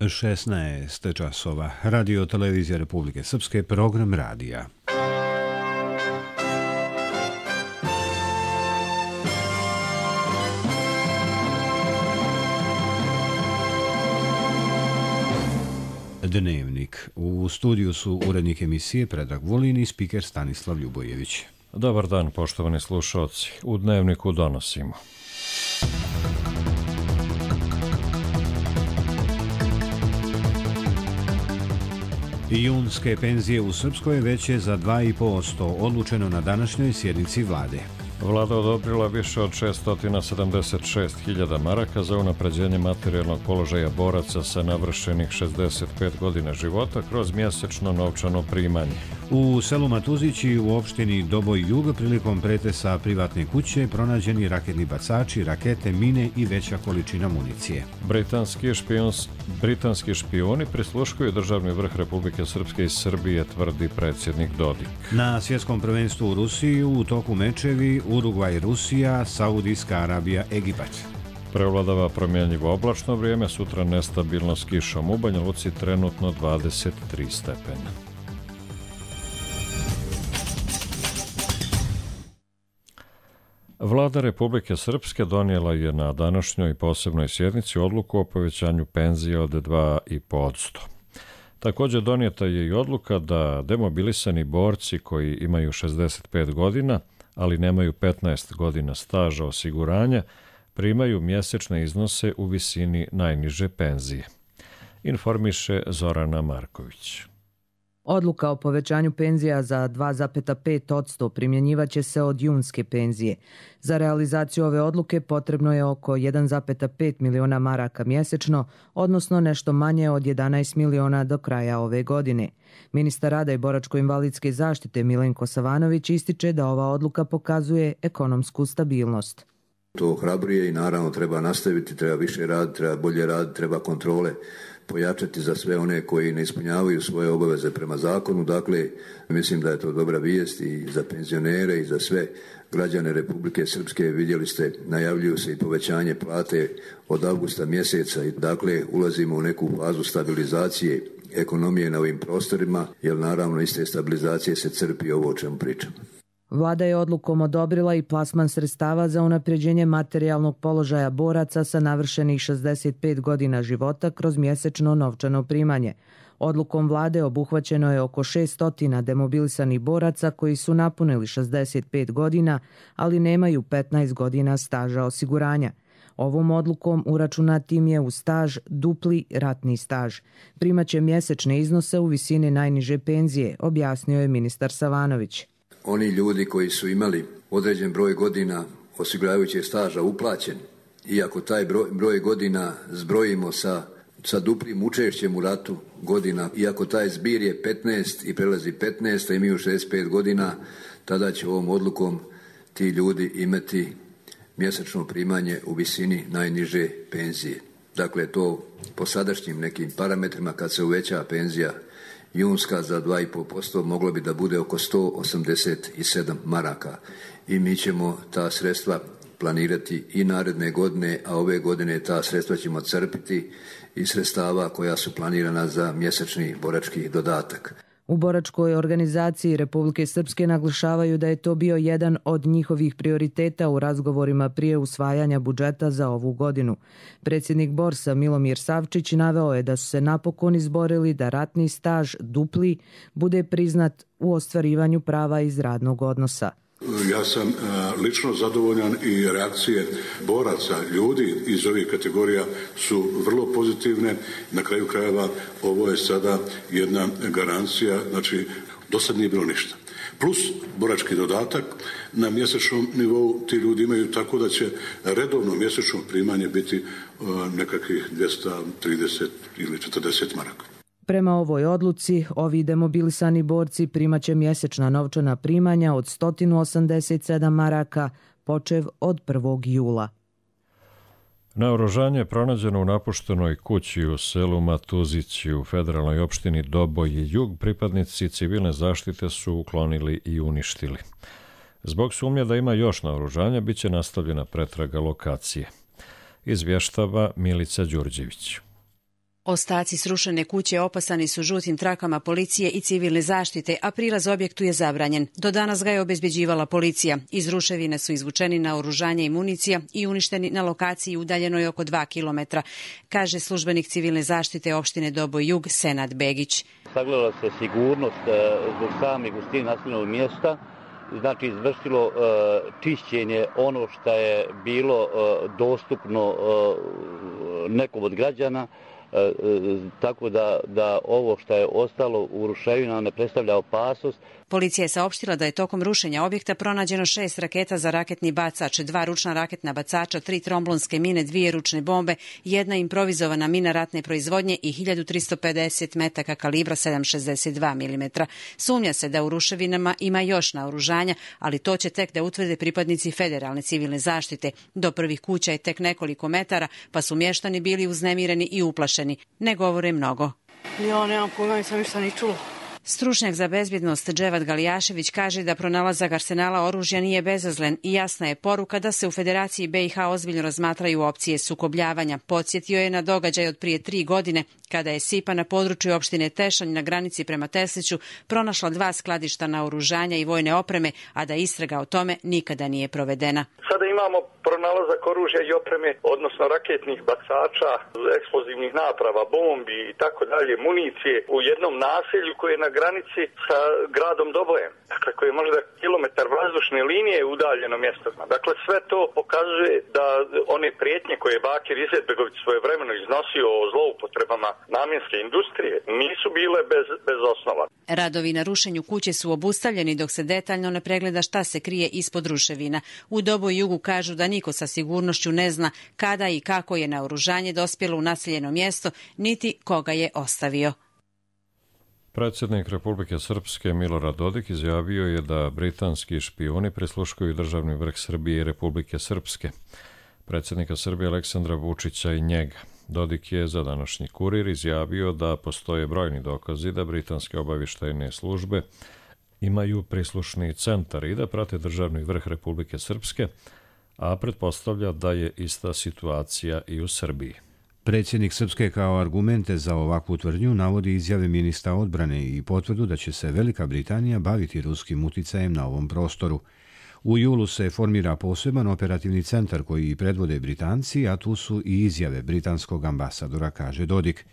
16 časova. Radio Televizija Republike Srpske, program radija. Dnevnik. U studiju su urednik emisije Predrag Vulin i spiker Stanislav Ljubojević. Dobar dan, poštovani slušalci. U Dnevniku donosimo. Junske penzije u Srpskoj veće za 2,5%, odlučeno na današnjoj sjednici vlade. Vlada odobrila više od 676.000 maraka za unapređenje materijalnog položaja boraca sa navršenih 65 godina života kroz mjesečno novčano primanje. U selu Matuzići u opštini Doboj Jug prilikom pretesa privatne kuće pronađeni raketni bacači, rakete, mine i veća količina municije. Britanski špijuni prisluškuju državni vrh Republike Srpske i Srbije, tvrdi predsjednik Dodik. Na svjetskom prvenstvu u Rusiji u toku mečevi Urugvaj, Rusija, Saudijska Arabija, Egipat. Prevladava promjenjivo oblačno vrijeme, sutra nestabilno s kišom. U Banja Luci trenutno 23 stepena. Vlada Republike Srpske donijela je na današnjoj posebnoj sjednici odluku o povećanju penzije od 2,5%. Također donijeta je i odluka da demobilisani borci koji imaju 65 godina, ali nemaju 15 godina staža osiguranja, primaju mjesečne iznose u visini najniže penzije. Informiše Zorana Marković. Odluka o povećanju penzija za 2,5% primjenjivaće se od junske penzije. Za realizaciju ove odluke potrebno je oko 1,5 miliona maraka mjesečno, odnosno nešto manje od 11 miliona do kraja ove godine. Ministar rada i boračko-invalidske zaštite Milenko Savanović ističe da ova odluka pokazuje ekonomsku stabilnost. To ohrabruje i naravno treba nastaviti, treba više raditi, treba bolje raditi, treba kontrole pojačati za sve one koji ne ispunjavaju svoje obaveze prema zakonu. Dakle, mislim da je to dobra vijest i za penzionere i za sve građane Republike Srpske. Vidjeli ste, najavljuju se i povećanje plate od avgusta mjeseca i dakle ulazimo u neku fazu stabilizacije ekonomije na ovim prostorima, jer naravno iz te stabilizacije se crpi ovo o čemu pričam. Vlada je odlukom odobrila i plasman sredstava za unapređenje materijalnog položaja boraca sa navršenih 65 godina života kroz mjesečno novčano primanje. Odlukom vlade obuhvaćeno je oko 600 demobilisanih boraca koji su napunili 65 godina, ali nemaju 15 godina staža osiguranja. Ovom odlukom uračunat im je u staž dupli ratni staž. Primaće mjesečne iznose u visini najniže penzije, objasnio je ministar Savanović. Oni ljudi koji su imali određen broj godina osiguravajućeg staža uplaćen, iako taj broj godina zbrojimo sa duplim učešćem u ratu godina, iako taj zbir je 15 i prelazi 15, a imaju 65 godina, tada će ovom odlukom ti ljudi imati mjesečno primanje u visini najniže penzije. Dakle, to po sadašnjim nekim parametrima kad se uveća penzija junska za 2,5% moglo bi da bude oko 187 maraka i mi ćemo ta sredstva planirati i naredne godine, a ove godine ta sredstva ćemo crpiti iz sredstava koja su planirana za mjesečni borački dodatak. U boračkoj organizaciji Republike Srpske naglašavaju da je to bio jedan od njihovih prioriteta u razgovorima prije usvajanja budžeta za ovu godinu. Predsjednik Borsa Milomir Savčić naveo je da su se napokon izborili da ratni staž dupli bude priznat u ostvarivanju prava iz radnog odnosa. Ja sam lično zadovoljan i reakcije boraca, ljudi iz ovih kategorija su vrlo pozitivne. Na kraju krajeva ovo je sada jedna garancija, znači do sad nije bilo ništa. Plus borački dodatak na mjesečnom nivou ti ljudi imaju, tako da će redovno mjesečno primanje biti nekakvih 230 ili 40 maraka. Prema ovoj odluci, ovi demobilisani borci primaće mjesečna novčana primanja od 187 maraka, počev od 1. jula. Naoružanje je pronađeno u napuštenoj kući u selu Matuzići u federalnoj opštini Doboj i Jug. Pripadnici civilne zaštite su uklonili i uništili. Zbog sumnje da ima još naoružanja, bit će nastavljena pretraga lokacije. Izvještava Milica Đurđević. Ostaci srušene kuće opasani su žutim trakama policije i civilne zaštite, a prilaz objektu je zabranjen. Do danas ga je obezbeđivala policija. Iz ruševine su izvučeni naoružanje i municija i uništeni na lokaciji udaljenoj oko 2 kilometra, kaže službenik civilne zaštite opštine Doboj Jug Senad Begić. Sagledala se sigurnost zbog same gustine naseljenog mjesta, znači izvršilo čišćenje ono što je bilo dostupno nekom od građana, tako da ovo što je ostalo u ruševinama ne predstavlja opasnost. Policija je saopštila da je tokom rušenja objekta pronađeno 6 raketa za raketni bacač, 2 ručna raketna bacača, 3 tromblonske mine, 2 ručne bombe, 1 improvizovana mina ratne proizvodnje i 1350 metaka kalibra 7,62 mm. Sumnja se da u ruševinama ima još naoružanja, ali to će tek da utvrde pripadnici federalne civilne zaštite. Do prvih kuća je tek nekoliko metara, pa su mještani bili uznemireni i uplašeni. Ne govore mnogo. Ja nemam pojma, nisam ništa ni čula. Stručnjak za bezbjednost Dževad Galijašević kaže da pronalazak arsenala oružja nije bezazlen i jasna je poruka da se u Federaciji BiH ozbiljno razmatraju opcije sukobljavanja. Podsjetio je na događaj od prije 3 godine kada je SIPA na području opštine Tešanj na granici prema Tesliću pronašla 2 skladišta naoružanja i vojne opreme, a da istraga o tome nikada nije provedena. Sada imamo pronalazak oružja i opreme, odnosno raketnih bacača, eksplozivnih naprava, bombi i tako dalje, municije u jednom naselju koje je na granici sa gradom Dobojem. Dakle, koje je možda kilometar vazdušne linije udaljeno mjesto. Dakle, sve to pokazuje da one prijetnje koje je Bakir Izetbegović svojevremeno iznosio o zloupotrebama namjenske industrije nisu bile bez osnova. Radovi na rušenju kuće su obustavljeni dok se detaljno ne pregleda šta se krije ispod ruševina. U Doboj Jugu kažu da niko sa sigurnošću ne zna kada i kako je naoružanje dospjelo u naseljeno mjesto, niti koga je ostavio. Predsjednik Republike Srpske Milorad Dodik izjavio je da britanski špijuni prisluškuju državni vrh Srbije i Republike Srpske, predsjednika Srbije Aleksandra Vučića i njega. Dodik je za današnji Kurir izjavio da postoje brojni dokazi da britanske obavještajne službe imaju prislušni centar i da prate državni vrh Republike Srpske, a pretpostavlja da je ista situacija i u Srbiji. Predsjednik Srpske kao argumente za ovakvu tvrdnju navodi izjave ministra odbrane i potvrdu da će se Velika Britanija baviti ruskim uticajem na ovom prostoru. U julu se formira poseban operativni centar koji predvode Britanci, a tu su i izjave britanskog ambasadora, kaže Dodik.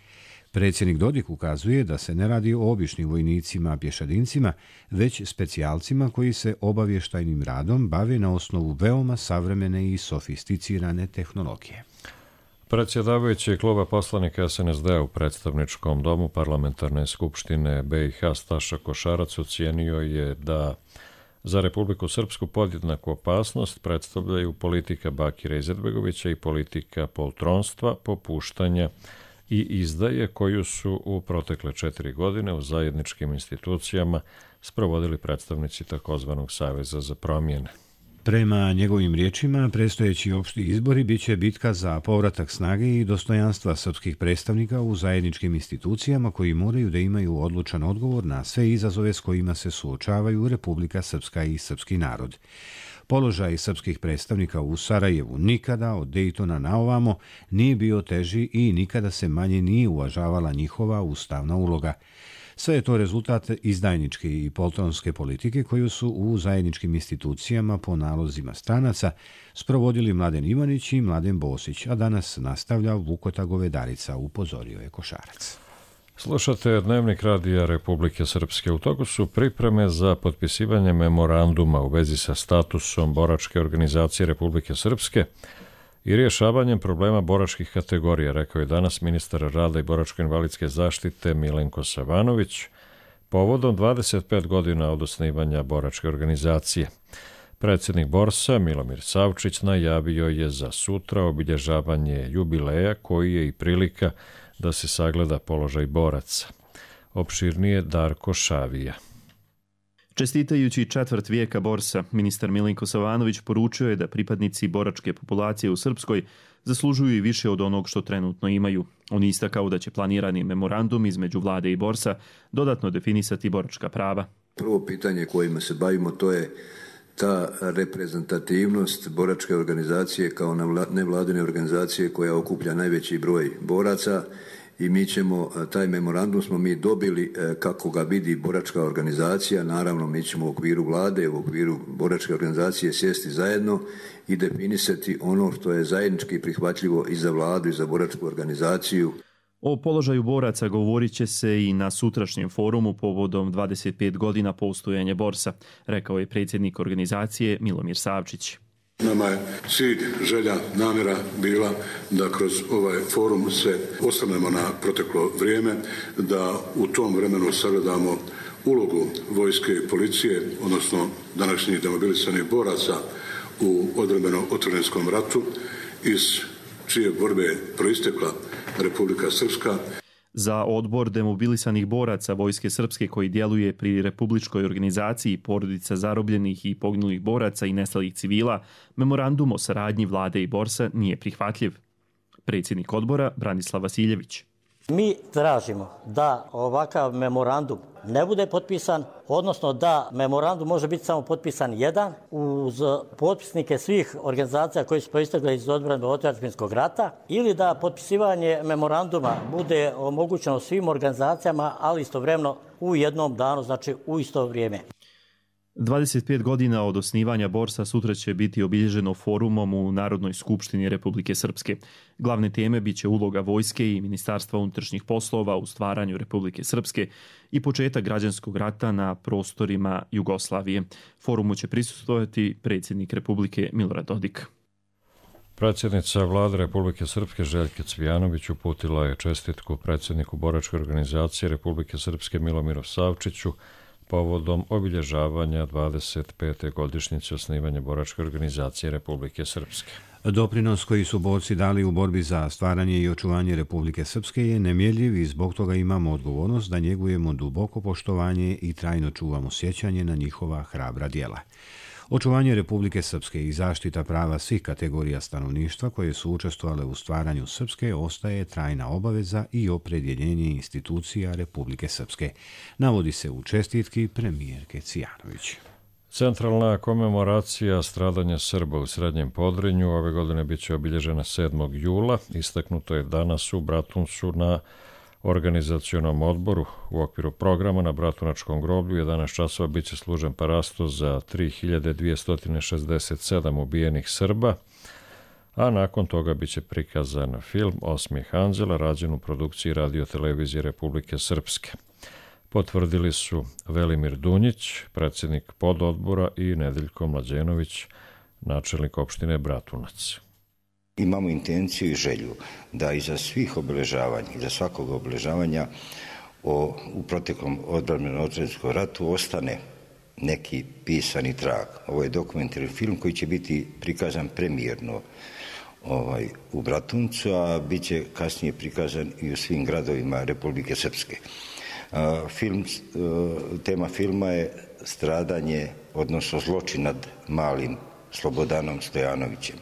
Predsjednik Dodik ukazuje da se ne radi o običnim vojnicima, pješadincima, već specijalcima koji se obavještajnim radom bave na osnovu veoma savremene i sofisticirane tehnologije. Predsjedavajući kluba poslanika SNSD u predstavničkom domu parlamentarne skupštine BiH Staša Košarac ocijenio je da za Republiku Srpsku podjednaku opasnost predstavljaju politika Bakira Izetbegovića i politika poltronstva, popuštanja i izdaje koju su u protekle 4 godine u zajedničkim institucijama sprovodili predstavnici takozvanog Saveza za promjene. Prema njegovim riječima, predstojeći opšti izbori biće bitka za povratak snage i dostojanstva srpskih predstavnika u zajedničkim institucijama koji moraju da imaju odlučan odgovor na sve izazove s kojima se suočavaju Republika Srpska i srpski narod. Položaj srpskih predstavnika u Sarajevu nikada od Dejtona na ovamo nije bio teži i nikada se manje nije uvažavala njihova ustavna uloga. Sve je to rezultat izdajničke i poltronske politike koju su u zajedničkim institucijama po nalozima stranaca sprovodili Mladen Ivanić i Mladen Bosić, a danas nastavlja Vukota Govedarica, upozorio je Košarac. Slušate Dnevnik radija Republike Srpske. U toku su pripreme za potpisivanje memoranduma u vezi sa statusom boračke organizacije Republike Srpske i rješavanjem problema boračkih kategorija, rekao je danas ministar rada i boračko-invalidske zaštite Milenko Savanović povodom 25 godina od osnivanja boračke organizacije. Predsjednik Borsa Milomir Savčić najavio je za sutra obilježavanje jubileja koji je i prilika da se sagleda položaj boraca. Opširnije Darko Šavija. Čestitajući 4 vijeka Borsa, ministar Milenko Savanović poručio je da pripadnici boračke populacije u Srpskoj zaslužuju i više od onog što trenutno imaju. On istakao da će planirani memorandum između vlade i Borsa dodatno definisati boračka prava. Prvo pitanje kojima se bavimo to je ta reprezentativnost boračke organizacije kao nevladine organizacije koja okuplja najveći broj boraca i mi ćemo, taj memorandum smo mi dobili kako ga vidi boračka organizacija. Naravno, mi ćemo u okviru vlade, u okviru boračke organizacije sjesti zajedno i definisati ono što je zajednički prihvatljivo i za vladu i za boračku organizaciju. O položaju boraca govorit će se i na sutrašnjem forumu povodom 25 godina postojanja Borsa, rekao je predsjednik organizacije Milomir Savčić. Nama je cilj, želja, namjera bila da kroz ovaj forum se osvrnemo na proteklo vrijeme, da u tom vremenu sagledamo ulogu vojske i policije, odnosno današnjih demobilisanih boraca u odbrambeno-otvorenskom ratu, iz čije borbe proistekla Republika Srpska. Za odbor demobilisanih boraca Vojske Srpske koji djeluje pri Republičkoj organizaciji porodica zarobljenih i poginulih boraca i nestalih civila, memorandum o saradnji vlade i Borsa nije prihvatljiv. Predsjednik odbora Branislav Vasiljević. Mi tražimo da ovakav memorandum ne bude potpisan, odnosno da memorandum može biti samo potpisan jedan uz potpisnike svih organizacija koji su proistekle iz odbrambeno-otadžbinskog rata, ili da potpisivanje memoranduma bude omogućeno svim organizacijama, ali istovremeno u jednom danu, znači u isto vrijeme. 25 godina od osnivanja Borsa sutra će biti obilježeno forumom u Narodnoj skupštini Republike Srpske. Glavne teme biće uloga vojske i Ministarstva unutrašnjih poslova u stvaranju Republike Srpske i početak građanskog rata na prostorima Jugoslavije. Forumu će prisustvovati predsjednik Republike Milorad Dodik. Predsjednica vlade Republike Srpske Željka Cvijanović uputila je čestitku predsjedniku boračke organizacije Republike Srpske Milomiru Savčiću povodom obilježavanja 25. godišnjice osnivanja boračke organizacije Republike Srpske. Doprinos koji su borci dali u borbi za stvaranje i očuvanje Republike Srpske je nemjerljiv i zbog toga imamo odgovornost da njegujemo duboko poštovanje i trajno čuvamo sjećanje na njihova hrabra djela. Očuvanje Republike Srpske i zaštita prava svih kategorija stanovništva koje su učestvovale u stvaranju Srpske ostaje trajna obaveza i opredjeljenje institucija Republike Srpske, navodi se u čestitki premijerke Cvijanović. Centralna komemoracija stradanja Srba u Srednjem Podrinju ove godine biće obilježena 7. jula. Istaknuto je danas u Bratuncu na organizacionom odboru. U okviru programa na Bratunačkom groblju 11 časova biće služen parasto za 3267 ubijenih Srba, a nakon toga biće prikazan film Osmijeh anđela rađen u produkciji Radio-televizije Republike Srpske. Potvrdili su Velimir Dunjić, predsjednik pododbora, i Nedeljko Mlađenović, načelnik opštine Bratunac. Imamo intenciju i želju da iza svih obeležavanja, iza svakog obeležavanja u proteklom odbrambeno-otvorenskom ratu ostane neki pisani trag. Ovo je dokumentarni film koji će biti prikazan premijerno u Bratuncu, a bit će kasnije prikazan i u svim gradovima Republike Srpske. Tema filma je stradanje, odnosno zločin nad malim Slobodanom Stojanovićem.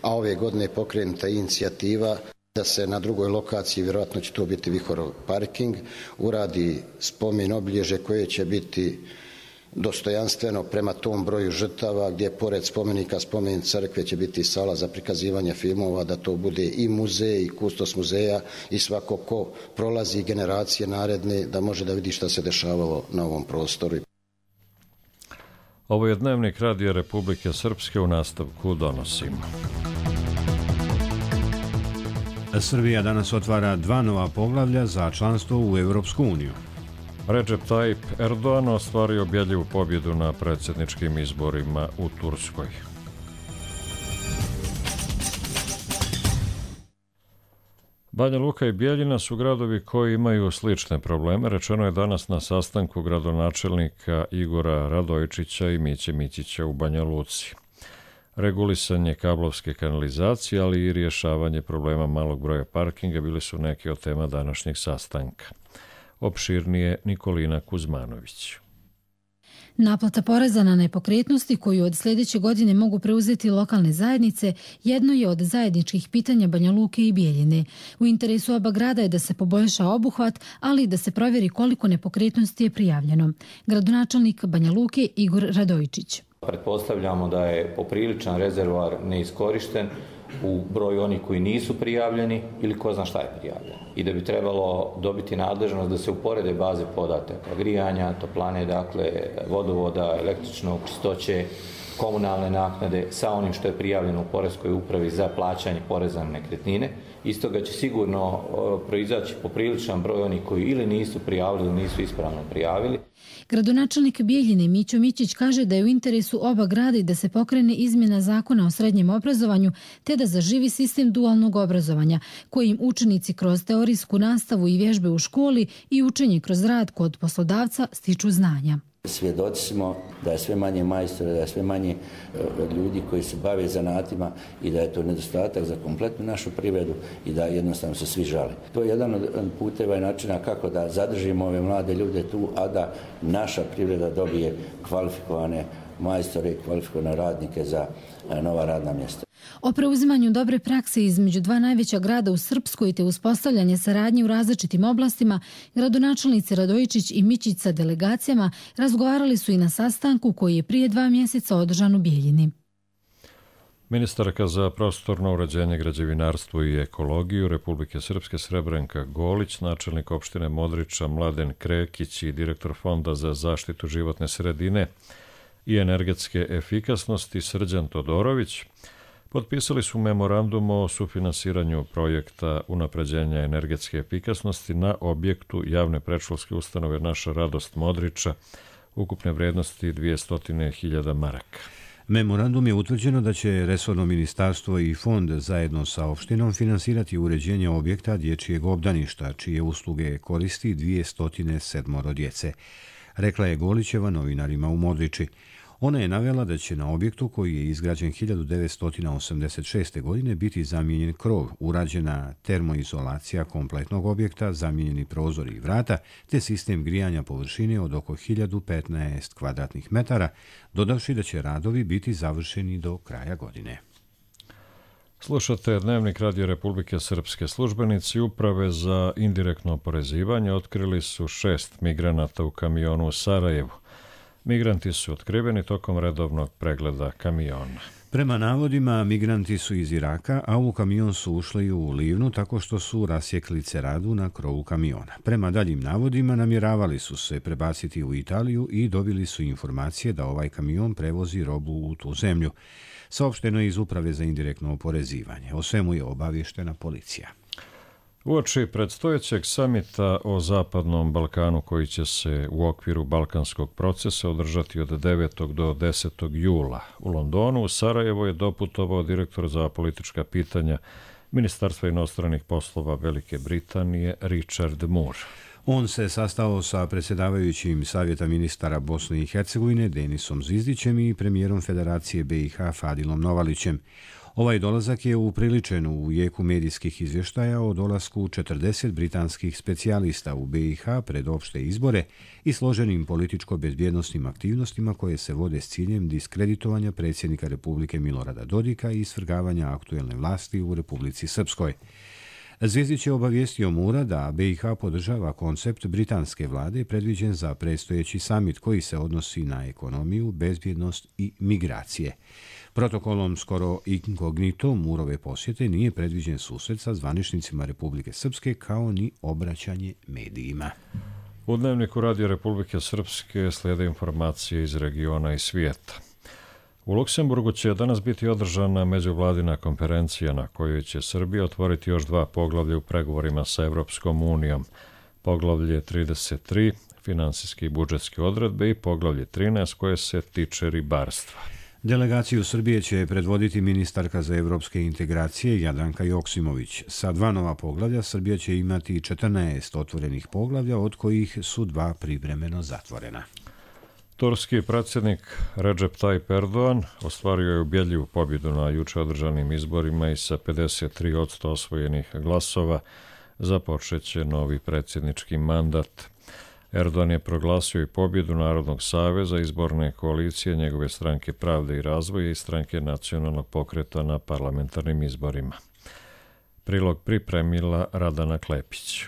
A ove godine je pokrenuta inicijativa da se na drugoj lokaciji, vjerojatno će to biti Vihorov parking, uradi spomen obilježje koje će biti dostojanstveno prema tom broju žrtava, gdje pored spomenika, spomen crkve će biti sala za prikazivanje filmova, da to bude i muzej i kustos muzeja i svako ko prolazi generacije naredne da može da vidi šta se dešavalo na ovom prostoru. Ovo je dnevnik Radija Republike Srpske, u nastavku donosimo. Srbija danas otvara 2 nova poglavlja za članstvo u Europsku uniju. Recep Tayyip Erdogan ostvario ubjedljivu pobjedu na predsjedničkim izborima u Turskoj. Banja Luka i Bijeljina su gradovi koji imaju slične probleme, rečeno je danas na sastanku gradonačelnika Igora Radojičića i Miće Mićića u Banja Luci. Regulisanje kablovske kanalizacije, ali i rješavanje problema malog broja parkinga bili su neki od tema današnjeg sastanka. Opširnije Nikolina Kuzmanović. Naplata poreza na nepokretnosti koju od sljedeće godine mogu preuzeti lokalne zajednice jedno je od zajedničkih pitanja Banja Luke i Bijeljine. U interesu oba grada je da se poboljša obuhvat, ali i da se provjeri koliko nepokretnosti je prijavljeno. Gradonačelnik Banja Luke Igor Radojičić. Pretpostavljamo da je popriličan rezervoar neiskorišten, u broju onih koji nisu prijavljeni ili ko zna šta je prijavljeno. I da bi trebalo dobiti nadležnost da se uporede baze podataka grijanja, toplane, dakle, vodovoda, električnog, čistoće, komunalne naknade sa onim što je prijavljeno u Poreskoj upravi za plaćanje poreza na nekretnine. Iz toga će sigurno proizaći popriličan broj onih koji ili nisu prijavili ili nisu ispravno prijavili. Gradonačelnik Bijeljine Mićo Mićić kaže da je u interesu oba grada i da se pokrene izmjena zakona o srednjem obrazovanju te da zaživi sistem dualnog obrazovanja kojim učenici kroz teorijsku nastavu i vježbe u školi i učenje kroz rad kod poslodavca stiču znanja. Svjedoci smo da je sve manje majstora, da je sve manje ljudi koji se bave zanatima i da je to nedostatak za kompletnu našu privredu i da jednostavno se svi žale. To je jedan od puteva i načina kako da zadržimo ove mlade ljude tu, a da naša privreda dobije kvalifikovane majstore i kvalifikovane radnike za nova radna mjesta. O preuzimanju dobre prakse između dva najveća grada u Srpskoj te uspostavljanje saradnje u različitim oblastima, gradonačelnici Radojičić i Mićić sa delegacijama razgovarali su i na sastanku koji je prije 2 mjeseca održan u Bijeljini. Ministarka za prostorno uređenje, građevinarstvo i ekologiju Republike Srpske Srebrenka Golić, načelnik opštine Modriča Mladen Krekić i direktor Fonda za zaštitu životne sredine i energetske efikasnosti Srđan Todorović potpisali su memorandum o sufinansiranju projekta unapređenja energetske efikasnosti na objektu javne predškolske ustanove Naša radost Modriča, ukupne vrednosti 200.000 maraka. Memorandum je utvrđeno da će resorno ministarstvo i fond zajedno sa opštinom finansirati uređenje objekta dječjeg obdaništa, čije usluge koristi 207 djece, rekla je Golićeva novinarima u Modriči. Ona je navela da će na objektu koji je izgrađen 1986. godine biti zamijenjen krov, urađena termoizolacija kompletnog objekta, zamijenjeni prozori i vrata, te sistem grijanja površine od oko 1015 kvadratnih metara, dodavši da će radovi biti završeni do kraja godine. Slušate Dnevnik Radio Republike Srpske. Službenici Uprave za indirektno oporezivanje otkrili su 6 migranata u kamionu u Sarajevu. Migranti su otkriveni tokom redovnog pregleda kamiona. Prema navodima, migranti su iz Iraka, a u kamion su ušli u Livnu tako što su rasjekli ceradu na krovu kamiona. Prema daljim navodima, namjeravali su se prebaciti u Italiju i dobili su informacije da ovaj kamion prevozi robu u tu zemlju. Saopšteno je iz Uprave za indirektno oporezivanje. O svemu je obavještena policija. Uoči predstojećeg samita o Zapadnom Balkanu koji će se u okviru balkanskog procesa održati od 9. do 10. jula u Londonu, u Sarajevo je doputovao direktor za politička pitanja Ministarstva inostranih poslova Velike Britanije Richard Moore. On se sastao sa predsjedavajućim Savjeta ministara Bosne i Hercegovine Denisom Zvizdićem i premijerom Federacije BiH Fadilom Novalićem. Ovaj dolazak je upriličen u jeku medijskih izvještaja o dolasku 40 britanskih specijalista u BiH pred opšte izbore i složenim političko-bezbjednostnim aktivnostima koje se vode s ciljem diskreditovanja predsjednika Republike Milorada Dodika i svrgavanja aktuelne vlasti u Republici Srpskoj. Zvizdić je obavijestio Mura da BiH podržava koncept britanske vlade predviđen za predstojeći samit koji se odnosi na ekonomiju, bezbjednost i migracije. Protokolom skoro inkognito Murove posjete nije predviđen susret sa zvaničnicima Republike Srpske kao ni obraćanje medijima. U Dnevniku Radio Republike Srpske slijede informacije iz regiona i svijeta. U Luksemburgu će danas biti održana međuvladina konferencija na kojoj će Srbija otvoriti još 2 poglavlja u pregovorima sa Evropskom unijom. Poglavlje 33, finansijske i budžetske odredbe i poglavlje 13 koje se tiče ribarstva. Delegaciju Srbije će predvoditi ministarka za evropske integracije Jadranka Joksimović. Sa 2 nova poglavlja Srbija će imati 14 otvorenih poglavlja, od kojih su 2 privremeno zatvorena. Turski predsjednik Recep Tayyip Erdogan ostvario je ubjedljivu pobjedu na juče održanim izborima i sa 53% osvojenih glasova započeće novi predsjednički mandat. Erdogan je proglasio i pobjedu Narodnog saveza, izborne koalicije njegove stranke Pravde i razvoja i stranke Nacionalnog pokreta na parlamentarnim izborima. Prilog pripremila Radana Klepić.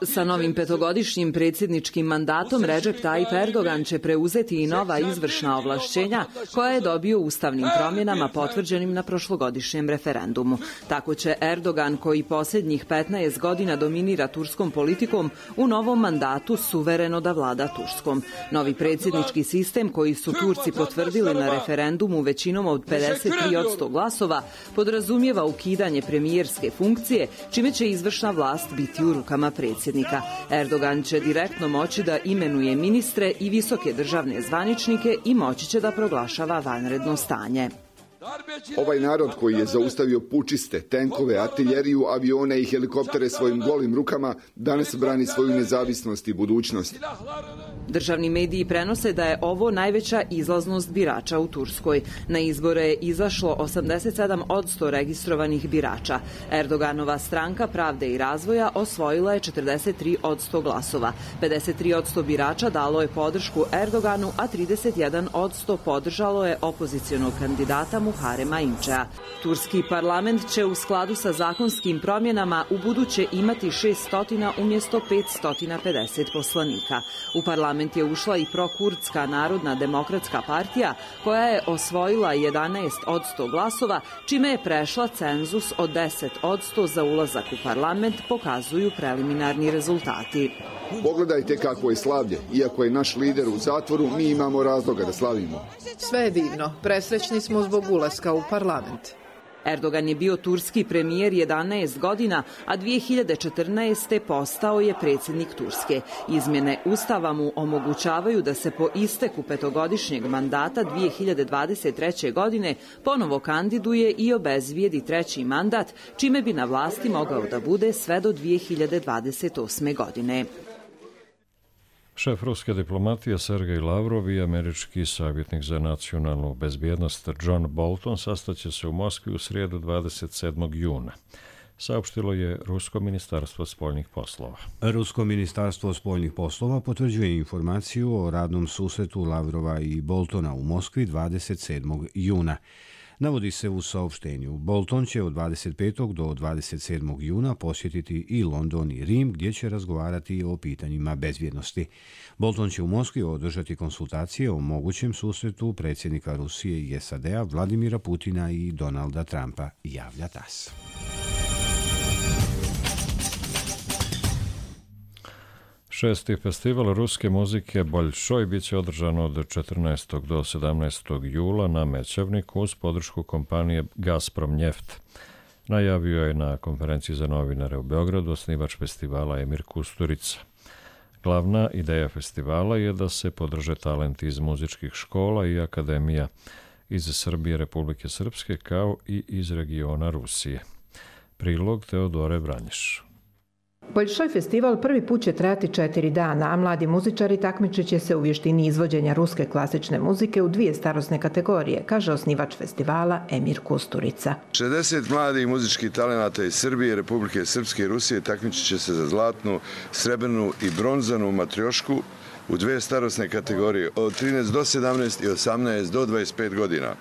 Sa novim petogodišnjim predsjedničkim mandatom Recep Tayyip Erdogan će preuzeti i nova izvršna ovlašćenja koja je dobio ustavnim promjenama potvrđenim na prošlogodišnjem referendumu. Tako će Erdogan, koji posljednjih 15 godina dominira turskom politikom, u novom mandatu suvereno da vlada Turskom. Novi predsjednički sistem koji su Turci potvrdili na referendumu većinom od 53% glasova podrazumijeva ukidanje premijerske funkcije, čime će izvršna vlast biti u rukama predsjednika. Erdogan će direktno moći da imenuje ministre i visoke državne zvaničnike i moći će da proglašava vanredno stanje. Ovaj narod koji je zaustavio pučiste, tenkove, artiljeriju, avione i helikoptere svojim golim rukama danas brani svoju nezavisnost i budućnost. Državni mediji prenose da je ovo najveća izlaznost birača u Turskoj. Na izbore je izašlo 87% registrovanih birača. Erdoganova stranka Pravde i razvoja osvojila je 43% glasova. 53% birača dalo je podršku Erdoganu, a 31% podržalo je opozicionog kandidata Muharema Inčea. Turski parlament će u skladu sa zakonskim promjenama u buduće imati 600 umjesto 550 poslanika. U parlament je ušla i prokurdska Narodna demokratska partija koja je osvojila 11% glasova, čime je prešla cenzus od 10% za ulazak u parlament, pokazuju preliminarni rezultati. Pogledajte kako je slavlje. Iako je naš lider u zatvoru, mi imamo razloga da slavimo. Sve je divno. Presrećni smo zbog ulaska u parlament. Erdogan je bio turski premijer 11 godina, a 2014. postao je predsjednik Turske. Izmjene Ustava mu omogućavaju da se po isteku petogodišnjeg mandata 2023. godine ponovo kandiduje i obezvrijedi treći mandat, čime bi na vlasti mogao da bude sve do 2028. godine. Šef ruske diplomatije Sergej Lavrov i američki savjetnik za nacionalnu bezbjednost John Bolton sastaće se u Moskvi u srijedu 27. juna. Saopštilo je Rusko ministarstvo spoljnih poslova. Rusko ministarstvo spoljnih poslova potvrđuje informaciju o radnom susretu Lavrova i Boltona u Moskvi 27. juna. Navodi se u saopštenju. Bolton će od 25. do 27. juna posjetiti i London i Rim, gdje će razgovarati o pitanjima bezbjednosti. Bolton će u Moskvi održati konsultacije o mogućem susretu predsjednika Rusije i SAD-a Vladimira Putina i Donalda Trumpa, javlja TASS. Šesti festival ruske muzike Boljšoj bit će održan od 14. do 17. jula na Mećavniku uz podršku kompanije Gazprom Njeft. Najavio je na konferenciji za novinare u Beogradu osnivač festivala Emir Kusturica. Glavna ideja festivala je da se podrže talenti iz muzičkih škola i akademija iz Srbije, Republike Srpske kao i iz regiona Rusije. Prilog Teodore Vranješ. Boljšoj festival prvi put će trajati 4 dana, a mladi muzičari takmičit će se u vještini izvođenja ruske klasične muzike u 2 starosne kategorije, kaže osnivač festivala Emir Kusturica. 60 mladih muzičkih talenata iz Srbije, Republike Srpske i Rusije takmičit će se za zlatnu, srebrnu i bronzanu matriošku u 2 starosne kategorije od 13 do 17 i 18 do 25 godina.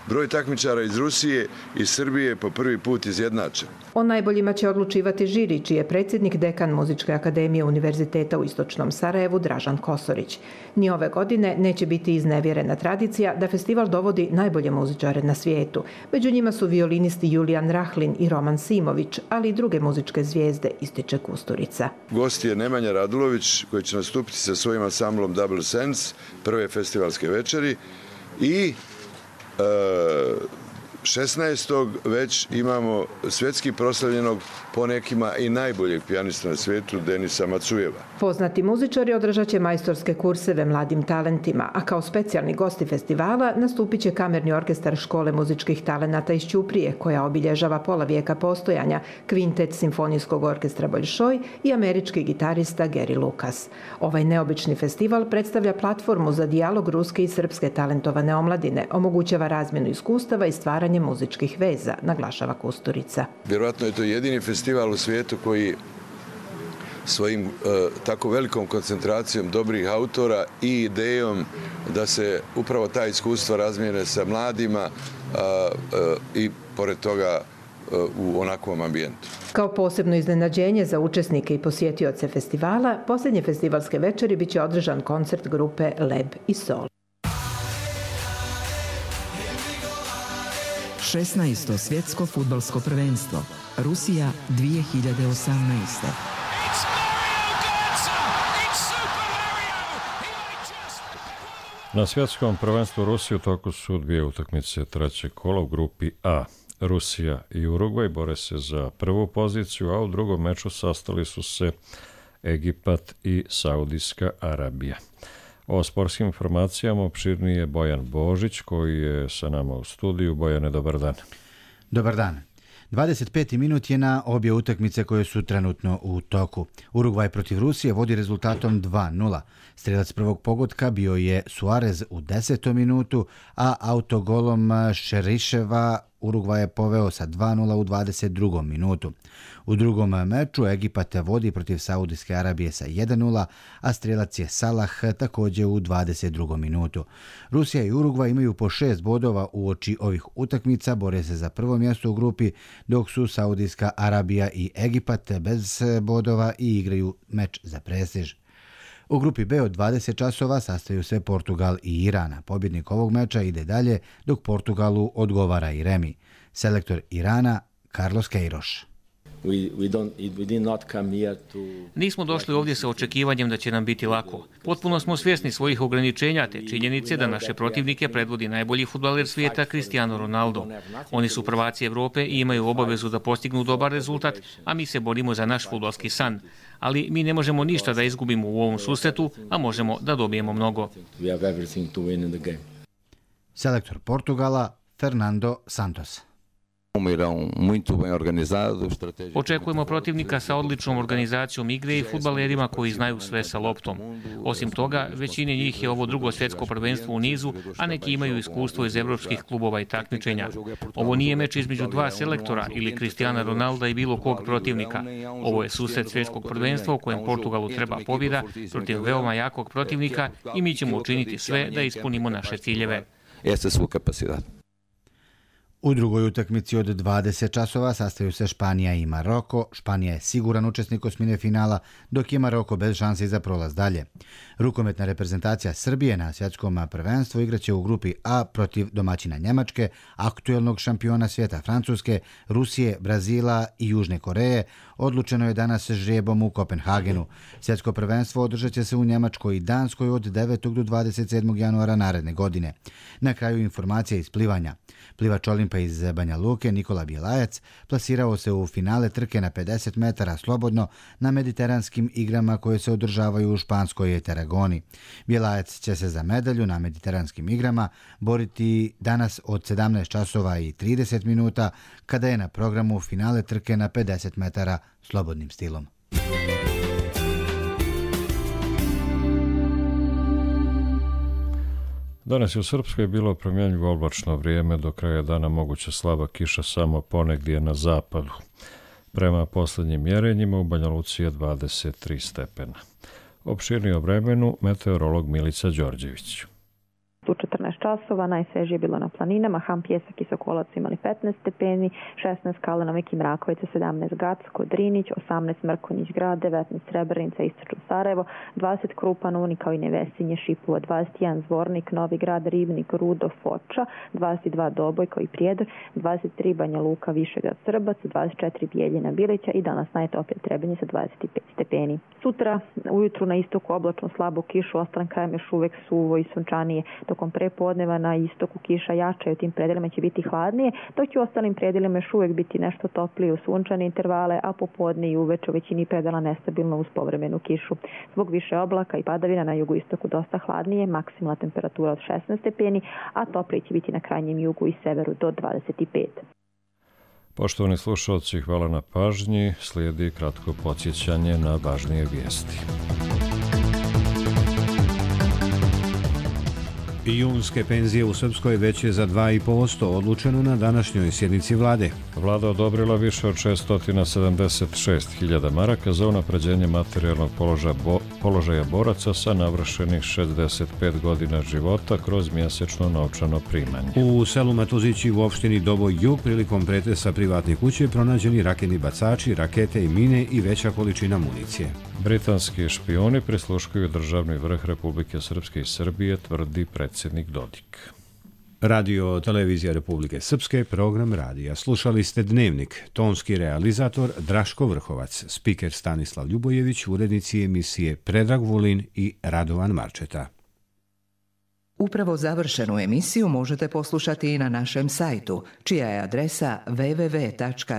Broj takmičara iz Rusije i Srbije po prvi put izjednačen. O najboljima će odlučivati žiri, čiji je predsjednik dekan Muzičke akademije Univerziteta u Istočnom Sarajevu Dražan Kosorić. Ni ove godine neće biti iznevjerena tradicija da festival dovodi najbolje muzičare na svijetu. Među njima su violinisti Julijan Rahlin i Roman Simović, ali i druge muzičke zvijezde, ističe Kusturica. Gost je Nemanja Radulović, koji će nastupiti sa svojim ansamblom Double Sense, prve festivalske večeri, i 16. već imamo svjetski proslavljenog, po nekima i najboljeg pijanista na svijetu, Denisa Macujeva. Poznati muzičari održat će majstorske kurseve mladim talentima, a kao specijalni gosti festivala nastupit će kamerni orkestar Škole muzičkih talenata iz Ćuprije, koja obilježava pola vijeka postojanja, kvintet Simfonijskog orkestra Boljšoj i američki gitarista Gary Lucas. Ovaj neobični festival predstavlja platformu za dijalog ruske i srpske talentovane omladine, omogućava razmjenu iskustava i stvaranje muzičkih veza, naglašava Kusturica. Vjerojatno je to jedini festival u svijetu koji svojim tako velikom koncentracijom dobrih autora i idejom da se upravo ta iskustva razmijene sa mladima i pored toga u onakvom ambijentu. Kao posebno iznenađenje za učesnike i posjetioce festivala, posljednje festivalske večeri biće održan koncert grupe Leb i Sol. 16. svjetsko fudbalsko prvenstvo. Rusija 2018. Na svjetskom prvenstvu Rusije u toku su dvije utakmice trećeg kola u grupi A. Rusija i Urugvaj bore se za prvu poziciju, a u drugom meču sastali su se Egipat i Saudijska Arabija. O sportskim informacijama opširnije Bojan Božić, koji je sa nama u studiju. Bojane, dobar dan. Dobar dan. 25. minut je na obje utakmice koje su trenutno u toku. Urugvaj protiv Rusije vodi rezultatom 2:0. Strelac prvog pogotka bio je Suarez u 10. minutu, a autogolom Šeriševa Urugvaj je poveo sa 2:0 u 22. minutu. U drugom meču Egipat vodi protiv Saudijske Arabije sa 1:0, a strelac je Salah također u 22. minutu. Rusija i Urugvaj imaju po 6 bodova uoči ovih utakmica, bore se za prvo mjesto u grupi, dok su Saudijska Arabija i Egipat bez bodova i igraju meč za prestiž. U grupi B od 20 časova sastaju se Portugal i Irana. Pobjednik ovog meča ide dalje, dok Portugalu odgovara i remi. Selektor Irana Carlos Queiroz. Nismo došli ovdje sa očekivanjem da će nam biti lako. Potpuno smo svjesni svojih ograničenja te činjenice da naše protivnike predvodi najbolji fudbaler svijeta Cristiano Ronaldo. Oni su prvaci Evrope i imaju obavezu da postignu dobar rezultat, a mi se borimo za naš fudbalski san. Ali mi ne možemo ništa da izgubimo u ovom susretu, a možemo da dobijemo mnogo. Selektor Portugala Fernando Santos. Očekujemo protivnika sa odličnom organizacijom igre i fudbalerima koji znaju sve sa loptom. Osim toga, većini njih je ovo drugo svjetsko prvenstvo u nizu, a neki imaju iskustvo iz evropskih klubova i takmičenja. Ovo nije meč između dva selektora ili Cristiana Ronalda i bilo kog protivnika. Ovo je susret svjetskog prvenstva u kojem Portugalu treba pobjeda protiv veoma jakog protivnika i mi ćemo učiniti sve da ispunimo naše ciljeve. U drugoj utakmici od 20 časova sastaju se Španija i Maroko. Španija je siguran učesnik osmine finala, dok je Maroko bez šanse za prolaz dalje. Rukometna reprezentacija Srbije na svjetskom prvenstvu igraće u grupi A protiv domaćina Njemačke, aktuelnog šampiona svijeta Francuske, Rusije, Brazila i Južne Koreje. Odlučeno je danas žrijebom u Kopenhagenu. Svjetsko prvenstvo održat će se u Njemačkoj i Danskoj od 9. do 27. januara naredne godine. Na kraju informacija iz plivanja. Plivač Olimpa iz Banja Luke Nikola Bjelajac plasirao se u finale trke na 50 metara slobodno na mediteranskim igrama koje se održavaju u španskoj Tarragoni. Bjelajac će se za medalju na mediteranskim igrama boriti danas od 17 časova i 30 minuta kada je na programu finale trke na 50 metara slobodnim stilom. Danas je u Srpskoj bilo promjenjivo oblačno vrijeme, do kraja dana moguća slaba kiša samo ponegdje na zapadu. Prema posljednjim mjerenjima u Banja Luci je 23 stepena. Opširnije o vremenu meteorolog Milica Đorđević. U 14 časova najsvežije je bilo na planinama, Ham, Pjesak i Sokolac imali 15 stepeni, 16 Kalena, Meki, Mrakovica, 17 Gacko, Drinić, 18 Mrkonjić grad, 19 Srebrenica, Istočno Sarajevo, 20 Krupan, Uni kao i Nevesinje, Šipova, 21 Zvornik, Novi grad, Rivnik, Rudo, Foča, 22 Doboj kao i Prijedor, 23 Banja Luka, Višegrad, Srbac, 24 Bijeljina, Bilića i danas najtoplije Trebinje sa 25 stepeni. Sutra ujutru na istoku oblačno slabu kišu, ostalim krajem još uvek suvo i sunčanije. Tokom prepodneva na istoku kiša jača i u tim predelima će biti hladnije, dok će u ostalim predelima još uvek biti nešto toplije u sunčane intervale, a popodne i uveče u većini predela nestabilno uz povremenu kišu. Zbog više oblaka i padavina na jugoistoku dosta hladnije, maksimalna temperatura od 16 stepeni, a toplije će biti na krajnjem jugu i severu do 25. Poštovani slušalci, hvala na pažnji. Slijedi kratko podsjećanje na važnije vijesti. Junske penzije u Srpskoj veće za 2,5%, odlučeno na današnjoj sjednici vlade. Vlada odobrila više od 676.000 maraka za unapređenje materijalnog položaja boraca sa navršenih 65 godina života kroz mjesečno novčano primanje. U selu Matuzići u opštini Doboj Jug prilikom pretresa privatne kuće pronađeni raketni bacači, rakete i mine i veća količina municije. Britanski špioni prisluškuju državni vrh Republike Srpske i Srbije, tvrdi predsjednik Dodik. Radio Televizija Republike Srpske, program radija. Slušali ste Dnevnik, tonski realizator Draško Vrhovac, spiker Stanislav Ljubojević, urednici emisije Predrag Vulin i Radovan Marčeta. Upravo završenu emisiju možete poslušati i na našem sajtu, čija je adresa www.rtrs.tv.